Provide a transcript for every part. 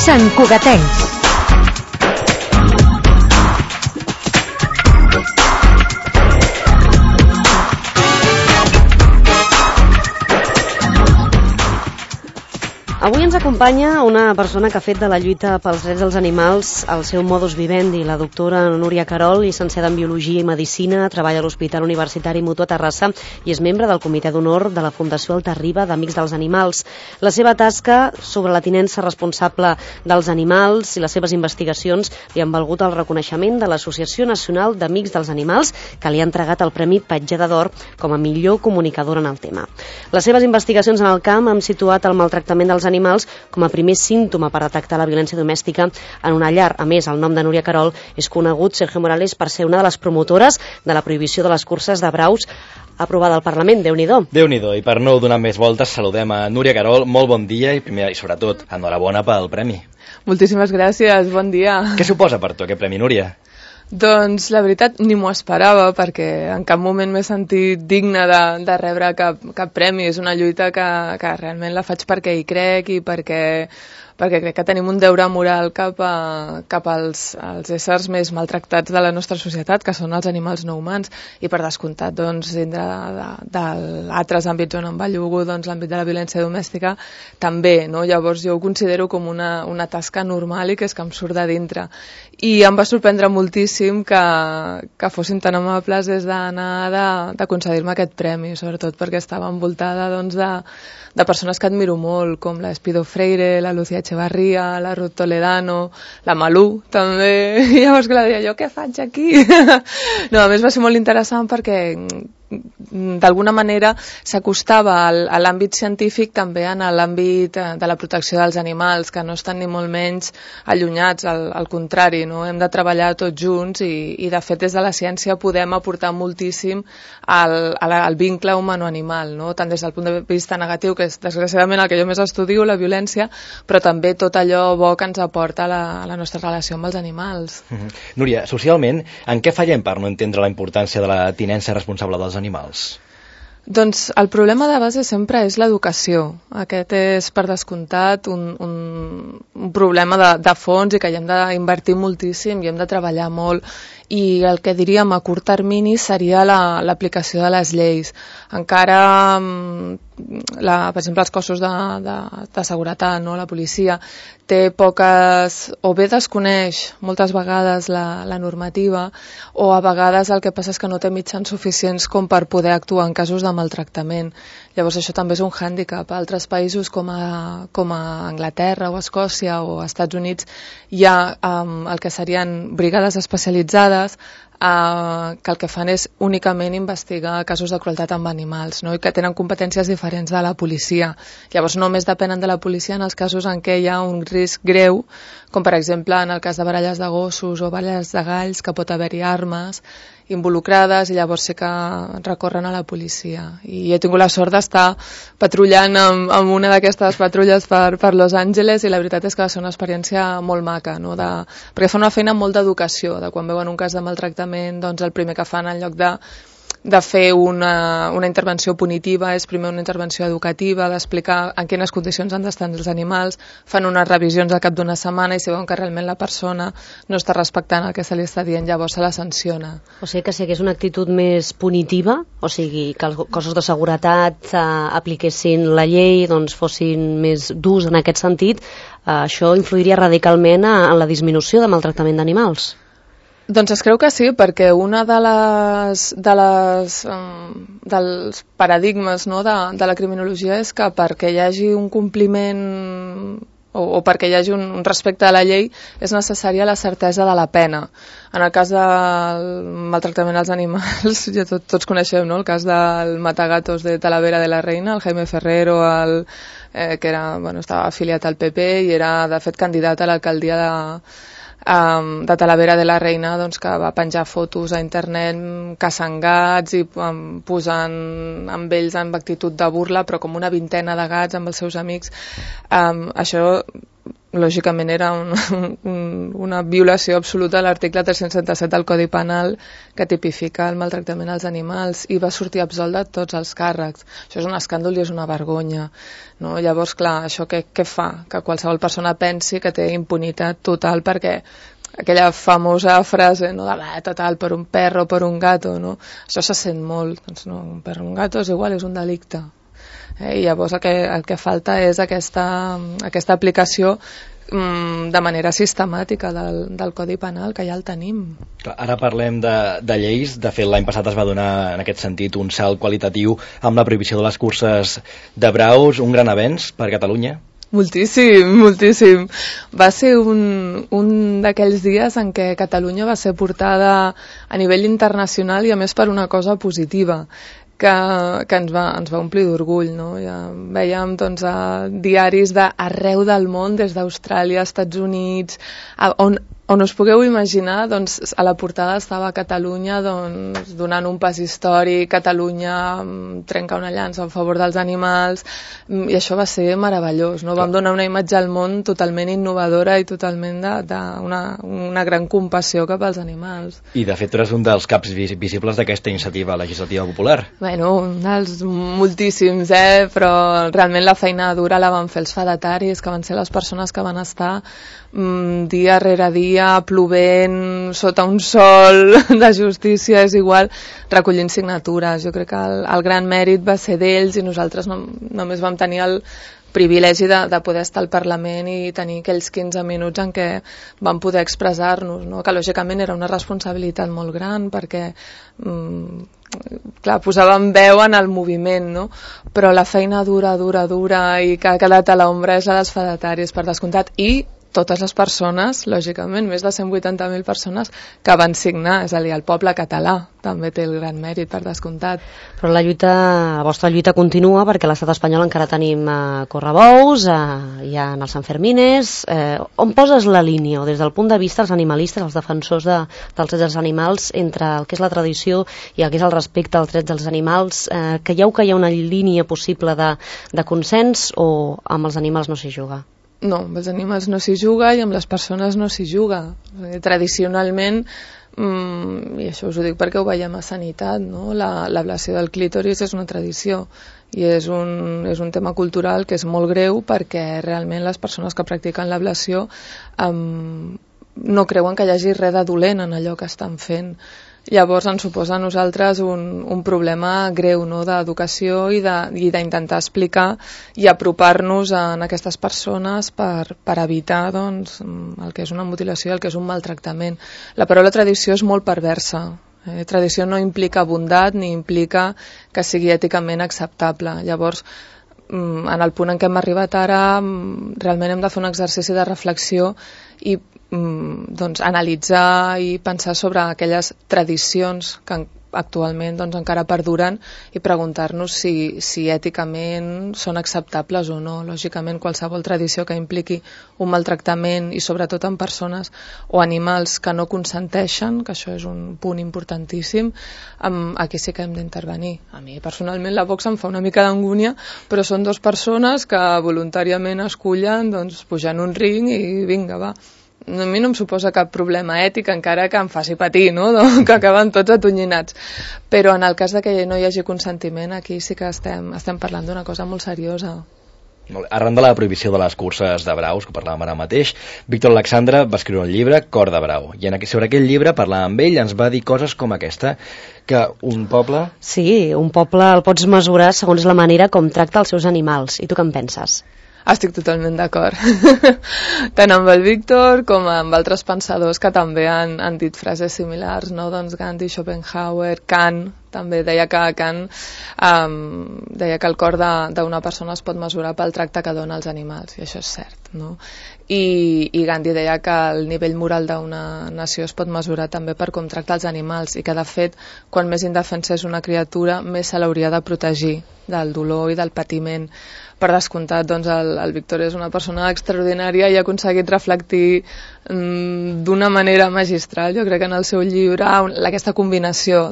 Sant Cugatencs. Avui ens acompanya una persona que ha fet de la lluita pels drets dels animals el seu modus vivendi, la doctora Núria Querol, llicenciada en Biologia i Medicina, treballa a l'Hospital Universitari Mutu a Terrassa i és membre del Comitè d'Honor de la Fundació Alta-riba d'Amics dels Animals. La seva tasca sobre la tinença responsable dels animals i les seves investigacions li han valgut el reconeixement de l'Associació Nacional d'Amics dels Animals, que li ha entregat el Premi Petjada d'Or com a millor comunicadora en el tema. Les seves investigacions en el camp han situat el maltractament dels animals com a primer símptoma per detectar la violència domèstica en una llar. A més, el nom de Núria Querol és conegut, Sergio Morales, per ser una de les promotores de la prohibició de les curses de braus aprovada al Parlament. Déu-n'hi-do. Déu-n'hi-do, i per no donar més voltes saludem a Núria Querol. Molt bon dia i primer i sobretot enhorabona pel premi. Moltíssimes gràcies, bon dia. Què suposa per tu aquest premi, Núria? Doncs la veritat ni m'ho esperava, perquè en cap moment m'he sentit digna de rebre cap premi. És una lluita que realment la faig perquè hi crec i perquè crec que tenim un deure moral cap als éssers més maltractats de la nostra societat, que són els animals no humans, i per descomptat, doncs, dintre d'altres àmbits on em bellugo, doncs l'àmbit de la violència domèstica també, no? Llavors jo ho considero com una tasca normal i que és que em surt de dintre. I em va sorprendre moltíssim que fossin tan amables des d'anar de concedir-me aquest premi, sobretot perquè estava envoltada doncs, de persones que admiro molt, com la Espido Freire, la Lucía Echevarría, la Ruth Toledano, la Malú, també. I llavors, clar, deia, jo què faig aquí? No, a més va ser molt interessant perquè d'alguna manera s'acostava a l'àmbit científic també en l'àmbit de la protecció dels animals, que no estan ni molt menys allunyats, al contrari, no? Hem de treballar tots junts i de fet des de la ciència podem aportar moltíssim al vincle humano-animal, no? Tant des del punt de vista negatiu, que és desgraciadament el que jo més estudio, la violència, però també tot allò bo que ens aporta la nostra relació amb els animals. Núria, socialment, en què fallem per no entendre la importància de la tinença responsable dels animals? Doncs el problema de base sempre és l'educació. Aquest és, per descomptat, un problema de fons i que hi hem d'invertir moltíssim i hem de treballar molt. I el que diríem a curt termini seria l'aplicació de les lleis. Encara, per exemple, els cossos de seguretat, no? La policia, té poques, o bé desconeix moltes vegades la normativa, o a vegades el que passa és que no té mitjans suficients com per poder actuar en casos de maltractament. Llavors això també és un hàndicap. A altres països com a Anglaterra o Escòcia o Estats Units hi ha el que serien brigades especialitzades que el que fan és únicament investigar casos de crueltat amb animals, no? I que tenen competències diferents de la policia. Llavors només depenen de la policia en els casos en què hi ha un risc greu, com per exemple en el cas de baralles de gossos o baralles de galls, que pot haver-hi armes involucrades i llavors sí que recorren a la policia. I he tingut la sort d'estar patrullant amb una d'aquestes patrulles per Los Angeles i la veritat és que va ser una experiència molt maca, no? Perquè fa una feina molt d'educació, de quan veuen un cas de maltractament, doncs el primer que fan en lloc de fer una intervenció punitiva és primer una intervenció educativa, d'explicar en quines condicions han d'estar els animals, fan unes revisions al cap d'una setmana i si veuen que realment la persona no està respectant el que se li està dient, llavors se la sanciona. O sigui que si hagués una actitud més punitiva, o sigui que els cossos de seguretat apliquessin la llei, doncs fossin més durs en aquest sentit, això influiria radicalment en la disminució de maltractament d'animals. Doncs es creu que sí, perquè una dels paradigmes, no, de la criminologia és que perquè hi hagi un compliment o perquè hi hagi un respecte a la llei és necessària la certesa de la pena. En el cas del maltractament als animals, ja tots coneixem, no? El cas del matagatos de Talavera de la Reina, el Jaime Ferrero, que estava afiliat al PP i era de fet candidat a l'alcaldia de Talavera de la Reina, doncs, que va penjar fotos a internet caçant gats i posant amb ells amb actitud de burla, però com una vintena de gats amb els seus amics. Això lògicament era una violació absoluta de l'article 377 del Codi Penal que tipifica el maltractament als animals, i va sortir absolt de tots els càrrecs. Això és un escàndol i és una vergonya, no? Llavors, clar, això què fa? Que qualsevol persona pensi que té impunitat total, perquè aquella famosa frase, no, de total, per un perro, per un gato, no? Això se sent molt. Doncs no, un perro o un gato és igual, és un delicte. I llavors el que falta és aquesta aplicació de manera sistemàtica del Codi Penal, que ja el tenim. Ara parlem de lleis. De fet, l'any passat es va donar en aquest sentit un salt qualitatiu amb la prohibició de les curses de braus, un gran avenç per Catalunya. Moltíssim, moltíssim. Va ser un d'aquells dies en què Catalunya va ser portada a nivell internacional, i a més per una cosa positiva, que ens va omplir d'orgull, no? Ja veiem, doncs, a diaris d'arreu del món, des d'Austràlia, Estats Units, on us pugueu imaginar, doncs, a la portada estava Catalunya, doncs, donant un pas històric, Catalunya trenca una llança a favor dels animals, i això va ser meravellós, no? Vam donar una imatge al món totalment innovadora i totalment d'una gran compassió cap als animals. I de fet tu eres un dels caps visibles d'aquesta iniciativa legislativa popular. Bueno, un dels moltíssims, però realment la feina dura la van fer els fedataris, que van ser les persones que van estar dia rere dia, plovent, sota un sol de justícia, és igual, recollint signatures. Jo crec que el gran mèrit va ser d'ells, i nosaltres només vam tenir el privilegi de poder estar al Parlament i tenir aquells 15 minuts en què vam poder expressar-nos, no? Que lògicament era una responsabilitat molt gran, perquè clar, posàvem veu en el moviment, no? Però la feina dura i que ha quedat a l'ombra és la dels fedataris, per descomptat, i totes les persones, lògicament, més de 180.000 persones que van signar, és a dir, el poble català també té el gran mèrit, per descomptat. Però la vostra lluita continua, perquè a l'estat espanyol encara tenim correbous, hi ha els Sanfermines. On poses la línia, o des del punt de vista dels animalistes, els defensors dels drets dels animals, entre el que és la tradició i el que és el respecte als drets dels animals? Creieu que hi ha una línia possible de consens, o amb els animals no s'hi juga? No, amb els animals no s'hi juga i amb les persones no s'hi juga. Tradicionalment, i això us ho dic perquè ho veiem a Sanitat, no? L'ablació del clítoris és una tradició i és un tema cultural que és molt greu, perquè realment les persones que practiquen l'ablació no creuen que hi hagi res de dolent en allò que estan fent. Llavors ens suposa a nosaltres un problema greu, no?, d'educació i d'intentar explicar i apropar-nos a aquestes persones per evitar, doncs, el que és una mutilació i el que és un maltractament. La paraula tradició és molt perversa. Tradició no implica bondat ni implica que sigui èticament acceptable. Llavors, en el punt en què hem arribat ara, realment hem de fer un exercici de reflexió i doncs analitzar i pensar sobre aquelles tradicions que actualment doncs encara perduren i preguntar-nos si èticament són acceptables o no. Lògicament, qualsevol tradició que impliqui un maltractament, i sobretot en persones o animals que no consenteixen, que això és un punt importantíssim, aquí sí que hem d'intervenir. A mi personalment la boxa em fa una mica d'angúnia, però són dues persones que voluntàriament escullen doncs, pujar en un ring i vinga, va. A mi no em suposa cap problema ètic, encara que em faci patir, no?, que acaben tots atonyinats. Però en el cas de que no hi hagi consentiment, aquí sí que estem parlant d'una cosa molt seriosa. Arran de la prohibició de les curses de braus, que parlàvem ara mateix, Víctor Alexandre va escriure un llibre, Cor de brau, i sobre aquell llibre, parlant amb ell, ens va dir coses com aquesta, que un poble... Sí, un poble el pots mesurar segons la manera com tracta els seus animals. I tu què en penses? Estic totalment d'acord. Tant amb el Víctor com amb altres pensadors que també han dit frases similars, no? Doncs Gandhi, Schopenhauer, Kant, també deia que el cor d'una persona es pot mesurar pel tracte que dona als animals, i això és cert, no? I Gandhi deia que el nivell moral d'una nació es pot mesurar també per com tracta els animals, i que de fet, quan més indefensa és una criatura, més se l'hauria de protegir del dolor i del patiment. Per descomptat, doncs, el Víctor és una persona extraordinària i ha aconseguit reflectir d'una manera magistral, jo crec, en el seu llibre, aquesta combinació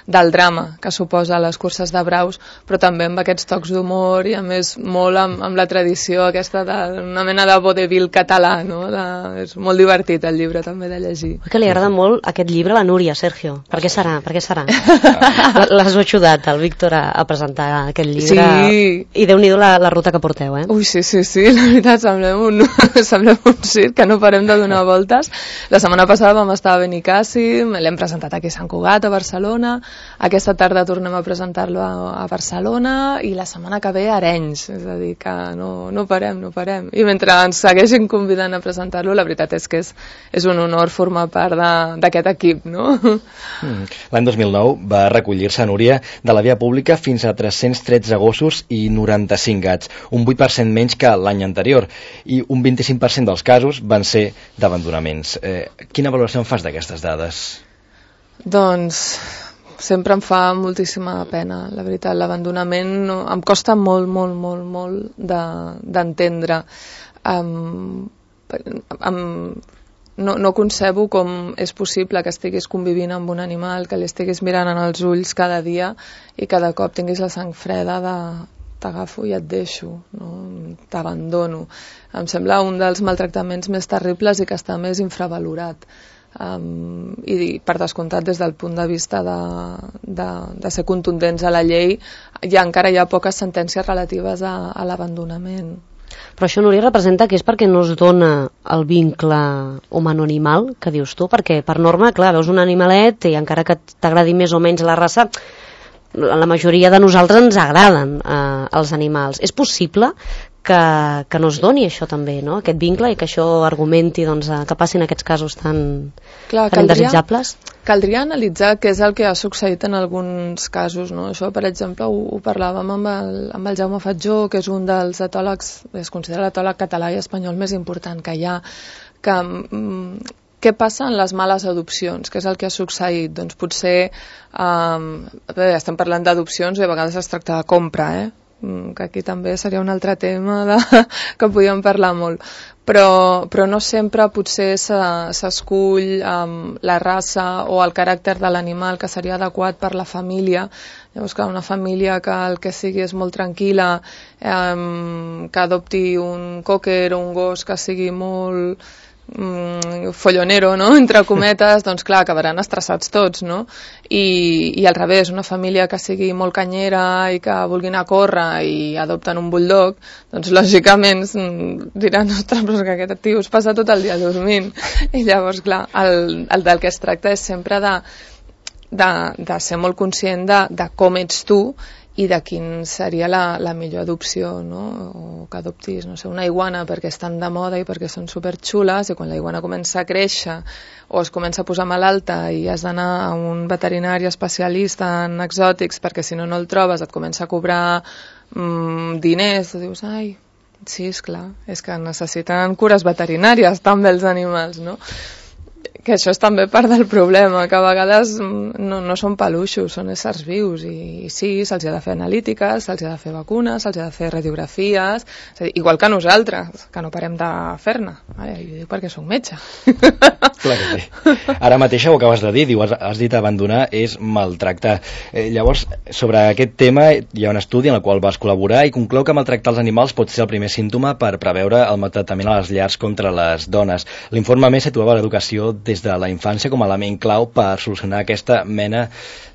del drama que suposa les curses de braus, però també amb aquests tocs d'humor i a més molt amb la tradició aquesta d'una mena de vodevil català, no? És molt divertit el llibre també de llegir. Que li agrada molt aquest llibre a la Núria, Sergio. Per què serà? Per què serà? L'has ajudat, el Víctor, a presentar aquest llibre. Sí. I Déu-n'hi-do la ruta que porteu, eh? Ui, sí, la veritat, semblem un circ que no parem de donar voltes. La setmana passada vam estar a Benicàssim, l'hem presentat aquí a Sant Cugat, a Barcelona, aquesta tarda tornem a presentar-lo a Barcelona i la setmana que ve a Arenys, és a dir, que no parem. I mentre ens segueixin convidant a presentar-lo, la veritat és que és un honor formar part d'aquest equip, no? L'any 2009 va recollir-se, Núria, de la via pública fins a 313 gossos i 95 gats, un 8% menys que l'any anterior, i un 25% dels casos van ser d'abandonaments. Quina valoració en fas d'aquestes dades? Doncs sempre em fa moltíssima pena, la veritat. L'abandonament em costa molt d'entendre. No concebo com és possible que estiguis convivint amb un animal, que li estiguis mirant en els ulls cada dia i cada cop tinguis la sang freda de t'agafo i et deixo, no? T'abandono. Em sembla un dels maltractaments més terribles i que està més infravalorat. I per descomptat des del punt de vista de ser contundents a la llei encara hi ha poques sentències relatives a l'abandonament. Però això, Núria, representa que és perquè no es dona el vincle humano-animal que dius tu, perquè per norma, clar, veus un animalet i encara que t'agradi més o menys la raça, la majoria de nosaltres ens agraden els animals. És possible que no es doni això també, no? Aquest vincle, i que això argumenti que passin aquests casos tan indesitjables? Caldria analitzar què és el que ha succeït en alguns casos, no? Això, per exemple, ho parlàvem amb el Jaume Fatjó, que és un dels etòlegs, es considera l'etòleg català i espanyol més important que hi ha, què passa en les males adopcions? Què és el que ha succeït? Doncs potser, estem parlant d'adopcions i a vegades es tracta de compra, que aquí també seria un altre tema que podíem parlar molt. Però no sempre potser s'escull la raça o el caràcter de l'animal que seria adequat per la família. Llavors, clar, una família que el que sigui és molt tranquil·la, que adopti un cocker o un gos que sigui molt follonero, no? Entre cometes, doncs clar, acabaran estressats tots, no? I al revés, una família que sigui molt canyera i que vulgui anar a córrer i adopten un bulldog, doncs lògicament diran, ostres, però que aquest tio es passa tot el dia dormint. I llavors, clar, el del que es tracta és sempre de ser molt conscient de com ets tu i de quin seria la millor adopció, no? O que adoptis, no sé, una iguana perquè estan de moda i perquè són superxules, i quan la iguana comença a créixer o es comença a posar malalta i has d'anar a un veterinari especialista en exòtics perquè si no el trobes et comença a cobrar diners, tu dius, ai, sí, esclar, és que necessiten cures veterinàries també els animals, no? Que això és també part del problema, que a vegades no són peluixos, són éssers vius, i sí, se'ls ha de fer analítiques, se'ls ha de fer vacunes, se'ls ha de fer radiografies, és a dir, igual que nosaltres, que no parem de fer-ne. Jo dic perquè soc metge. Clar que sí. Ara mateix ho acabes de dir, has dit abandonar és maltractar. Llavors, sobre aquest tema hi ha un estudi en el qual vas col·laborar i conclou que maltractar els animals pot ser el primer símptoma per preveure el maltractament a les llars contra les dones. L'informe més situava l'educació des de la infància com a element clau per solucionar aquesta mena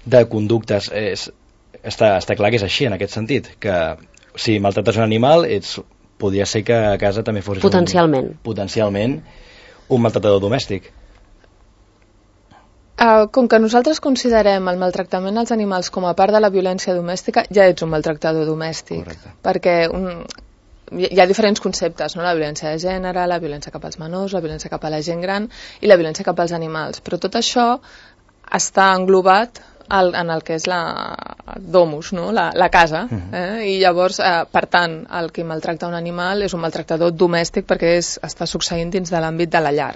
de conductes. Està clar que és així en aquest sentit, que si maltrates un animal podria ser que a casa també fos potencialment un maltratador domèstic. Com que nosaltres considerem el maltractament als animals com a part de la violència domèstica, ja ets un maltractador domèstic. Correcte. Perquè hi ha diferents conceptes, no? La violència de gènere, la violència cap als menors, la violència cap a la gent gran i la violència cap als animals. Però tot això està englobat en el que és la domus, no? La casa. I llavors, per tant, el que maltracta un animal és un maltractador domèstic perquè està succeint dins de l'àmbit de la llar.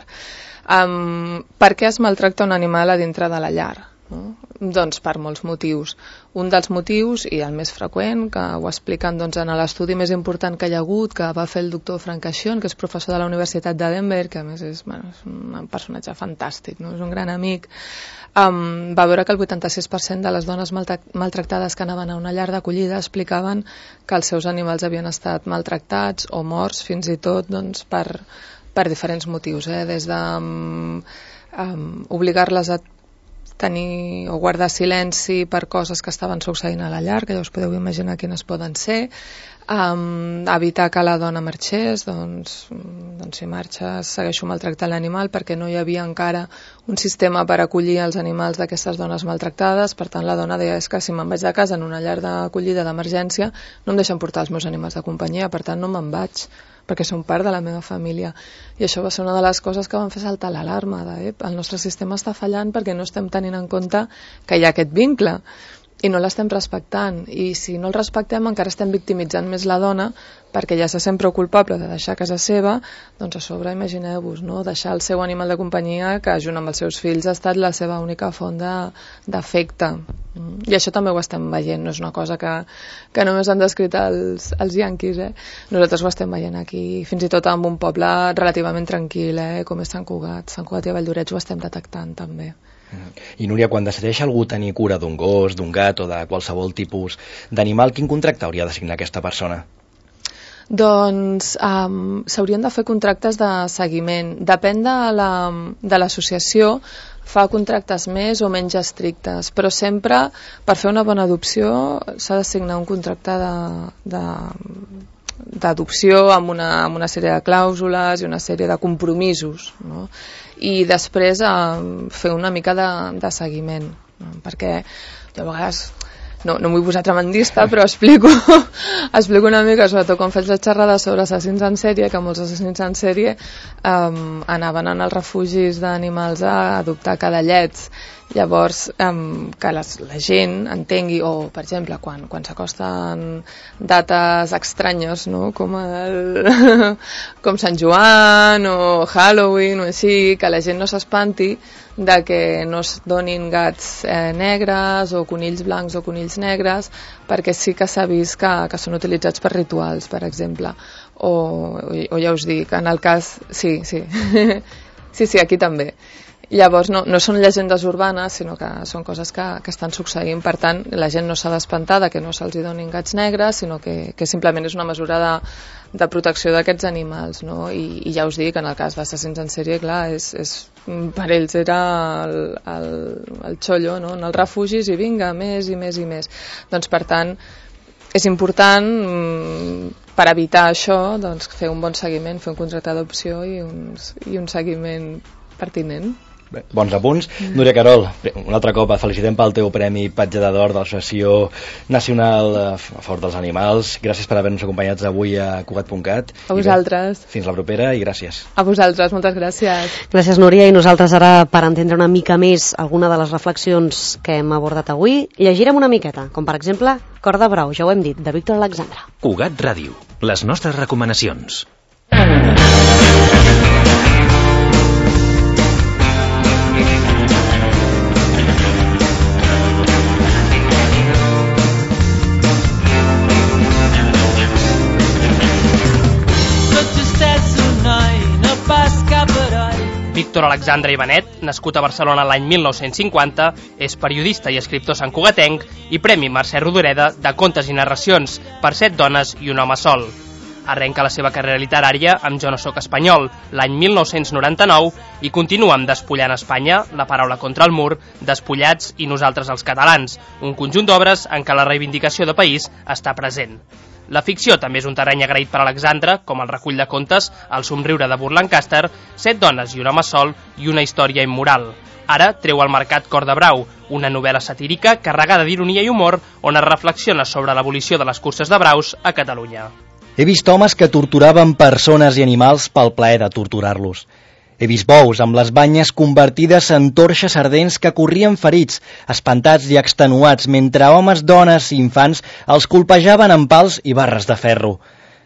Per què es maltracta un animal a dintre de la llar? no? Doncs per molts motius. Un dels motius, i el més freqüent, que ho expliquen doncs, en l'estudi més important que hi ha hagut, que va fer el doctor Frank Cachon, que és professor de la Universitat de Denver, que a més és un personatge fantàstic, no? És un gran amic, va veure que el 86% de les dones maltractades que anaven a una llar d'acollida explicaven que els seus animals havien estat maltractats o morts, fins i tot doncs, per diferents motius, des de obligar-les a tenir o guardar silenci per coses que estaven succeint a la llar, que ja us podeu imaginar quines poden ser, evitar que la dona marxés, doncs si marxes segueixo maltractant l'animal, perquè no hi havia encara un sistema per acollir els animals d'aquestes dones maltractades. Per tant la dona deia, és que si me'n vaig de casa en una llar d'acollida d'emergència no em deixen portar els meus animals de companyia, per tant no me'n vaig, perquè són part de la meva família. I això va ser una de les coses que van fer saltar l'alarma el nostre sistema està fallant perquè no estem tenint en compte que hi ha aquest vincle i no l'estem respectant, i si no el respectem encara estem victimitzant més la dona, perquè ja se sent prou culpable de deixar casa seva, doncs a sobre imagineu-vos, no? Deixar el seu animal de companyia, que junt amb els seus fills ha estat la seva única font d'afecte. I això també ho estem veient, no és una cosa que només han descrit els yanquis, Nosaltres ho estem veient aquí, fins i tot en un poble relativament tranquil, com és Sant Cugat i a Valldoreix ho estem detectant també. I Núria, quan decideix algú tenir cura d'un gos, d'un gat o de qualsevol tipus d'animal, quin contracte hauria de signar aquesta persona? Doncs s'haurien de fer contractes de seguiment. Depèn de l'associació, fa contractes més o menys estrictes, però sempre per fer una bona adopció s'ha de signar un contracte d'adopció amb una sèrie de clàusules i una sèrie de compromisos, no? I després fer una mica de seguiment, no? Perquè jo a vegades no vull posar tremendista, però explico una mica, sobretot quan faig la xerrada sobre assassins en sèrie, que molts assassins en sèrie anaven als refugis d'animals a adoptar cadellets. Llavors, que la gent entengui, o per exemple quan s'acosten dates estranyes, no? com Sant Joan o Halloween o així, que la gent no s'espanti de que no es donin gats negres o conills blancs o conills negres, perquè sí que s'ha vist que són utilitzats per rituals, per exemple, o ja us dic, en el cas sí, aquí també. Llavors no són llegendes urbanes, sinó que són coses que estan succeint. Per tant, la gent no s'ha d'espantar de que no se'ls donin gats negres, sinó que simplement és una mesura de protecció d'aquests animals, no? I ja us dic, en el cas d'assassins en sèrie, clar, per ells era el xollo, no? En els refugis, i vinga, més i més i més. Doncs, per tant, és important, per evitar això, doncs, fer un bon seguiment, fer un contracte d'adopció i un seguiment pertinent. Bé, bons apunts. Núria Querol, un altre cop felicitem pel teu premi Petjada d'Or de l'Associació Nacional a favor dels animals. Gràcies per haver-nos acompanyats avui a Cugat.cat. A vosaltres. Fins la propera i gràcies. A vosaltres, moltes gràcies. Gràcies, Núria, i nosaltres ara, per entendre una mica més alguna de les reflexions que hem abordat avui, llegirem una miqueta, com per exemple Cor de brau, ja ho hem dit, de Víctor Alexandre. Cugat Ràdio, les nostres recomanacions. Víctor Alexandre Ivanet, nascut a Barcelona l'any 1950, és periodista i escriptor santcugatenc i Premi Mercè Rodoreda de contes i narracions per 7 dones i un home sol. Arrenca la seva carrera literària amb Jo no sóc espanyol, l'any 1999, i continua amb Despullant Espanya, La paraula contra el mur, Despullats i Nosaltres els catalans, un conjunt d'obres en què la reivindicació de país està present. La ficció també és un terreny agraït per Alexandre, com el recull de contes El somriure de Burt Lancaster, 7 dones i un home sol i una història immoral. Ara treu al mercat Cor de brau, una novel·la satírica carregada d'ironia i humor on es reflexiona sobre l'abolició de les curses de braus a Catalunya. He vist homes que torturaven persones i animals pel plaer de torturar-los. He vist bous amb les banyes convertides en torxes ardents que corrien ferits, espantats i extenuats, mentre homes, dones i infants els colpejaven amb pals i barres de ferro.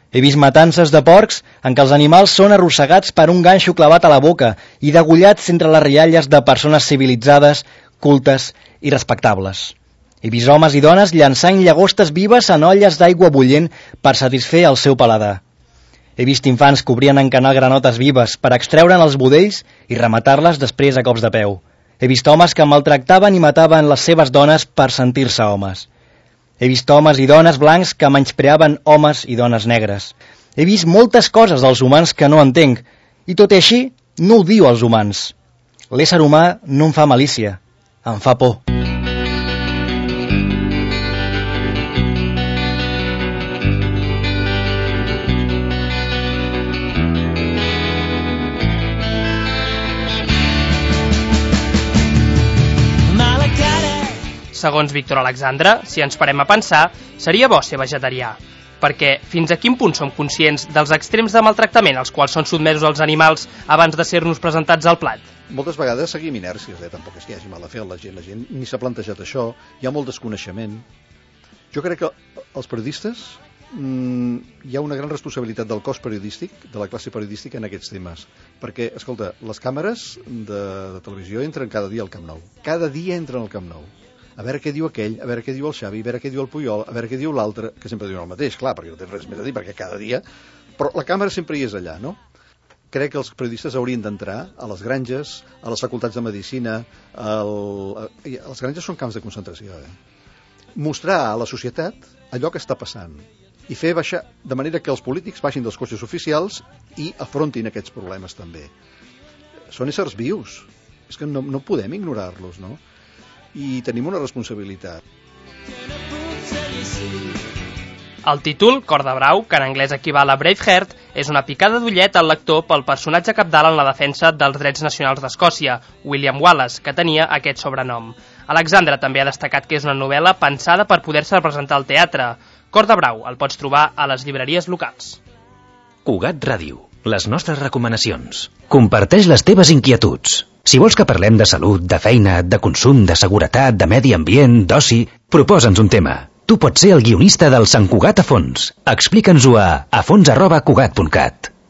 He vist matances de porcs en què els animals són arrossegats per un ganxo clavat a la boca i degollats entre les rialles de persones civilitzades cultes i respectables. He vist homes i dones llançant llagostes vives en olles d'aigua bullent per satisfer el seu paladar. He vist infants que obrien en canal granotes vives per extreure'n els budells i rematar-les després a cops de peu. He vist homes que maltractaven i mataven les seves dones per sentir-se homes. He vist homes i dones blancs que menyspreaven homes i dones negres. He vist moltes coses dels humans que no entenc, i tot i així no ho diu als humans. L'ésser humà no em fa malícia, em fa por. Segons Víctor Alexandre, si ens parem a pensar, seria bo ser vegetarià, perquè fins a quin punt som conscients dels extrems de maltractament als quals són sotmesos els animals abans de ser-nos presentats al plat? Moltes vegades seguim inèrcies, tampoc és que hi hagi mal de fer la gent ni s'ha plantejat això, hi ha molt desconeixement. Jo crec que els periodistes hi ha una gran responsabilitat del cos periodístic, de la classe periodística en aquests temes, perquè, escolta, les càmeres de televisió entren cada dia al Camp Nou, cada dia entren al Camp Nou, a veure què diu aquell, a veure què diu el Xavi, a veure què diu el Puyol, a veure què diu l'altre, que sempre diuen el mateix, clar, perquè no tens res més a dir, perquè cada dia... Però la càmera sempre hi és allà, no? Crec que els periodistes haurien d'entrar a les granges, a les facultats de medicina, les granges són camps de concentració, mostrar a la societat allò que està passant i fer baixar, de manera que els polítics baixin dels cotxes oficials i afrontin aquests problemes també. Són éssers vius, és que no podem ignorar-los, no? I tenim una responsabilitat. El títol, Cor de Brau, que en anglès equival a Braveheart, és una picada d'ullet al lector pel personatge cabdal en la defensa dels drets nacionals d'Escòcia, William Wallace, que tenia aquest sobrenom. Alexandre també ha destacat que és una novel·la pensada per poder-se representar al teatre. Cor de Brau el pots trobar a les llibreries locals. Cugat Ràdio, les nostres recomanacions. Comparteix les teves inquietuds. Si vols que parlem de salut, de feina, de consum, de seguretat, de medi ambient, d'oci, proposa'ns un tema. Tu pots ser el guionista del Sant Cugat a fons. Explica'ns-ho a fons@cugat.cat.